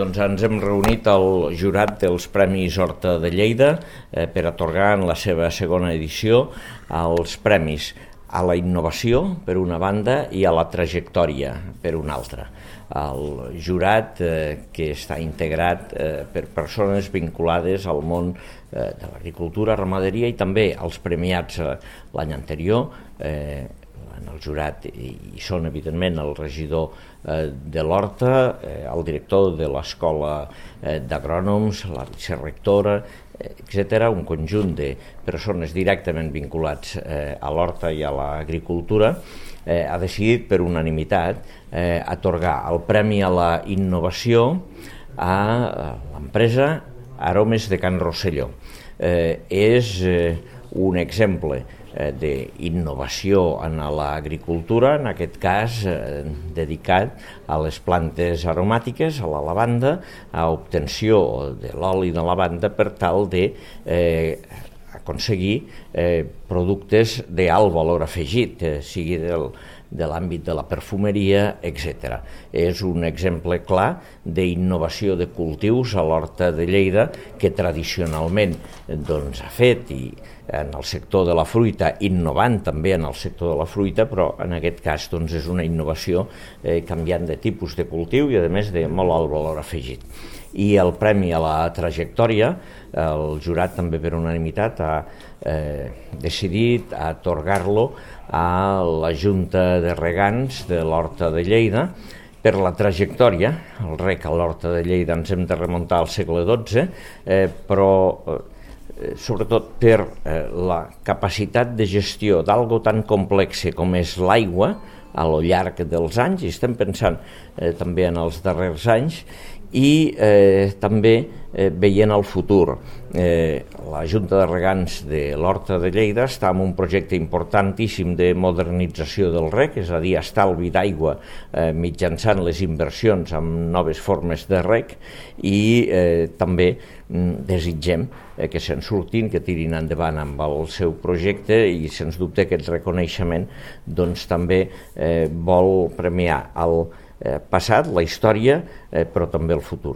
doncs ens hem reunit al jurat dels Premis Horta de Lleida per atorgar en la seva segona edició els premis a la innovació, per una banda, i a la trajectòria, per una altra. El jurat, que està integrat per persones vinculades al món de l'agricultura, ramaderia i també els premiats l'any anterior. En el jurat hi són, evidentment, el regidor de l'Horta, el director de l'Escola d'Agrònoms, la vicerectora, etc., un conjunt de persones directament vinculats a l'horta i a l'agricultura, ha decidit per unanimitat atorgar el Premi a la Innovació a l'empresa Aromes de Can Rosselló. És un exemple d'innovació en l'agricultura, en aquest cas dedicat a les plantes aromàtiques, a la lavanda, a obtenció de l'oli de lavanda per tal d'aconseguir productes d'alt valor afegit, sigui de l'àmbit de la perfumeria, etc. És un exemple clar d'innovació de cultius a l'Horta de Lleida que tradicionalment ha fet i en el sector de la fruita, innovant també en el sector de la fruita, però en aquest cas és una innovació canviant de tipus de cultiu i a més de molt alt valor afegit. I el premi a la trajectòria, el jurat també per unanimitat ha decidit atorgar-lo a la Junta de Regants de l'Horta de Lleida per la trajectòria. El rec a l'Horta de Lleida ens hem de remuntar al segle XII, però sobretot per la capacitat de gestió d'algo tan complex com és l'aigua a lo llarg dels anys, i estem pensant també en els darrers anys, i també veient el futur. La Junta de Regants de l'Horta de Lleida està en un projecte importantíssim de modernització del rec, és a dir, estalvi d'aigua mitjançant les inversions en noves formes de rec, i també desitgem que se'n surtin, que tirin endavant amb el seu projecte, i sens dubte aquest reconeixement també vol premiar el passat, la història, però també el futur.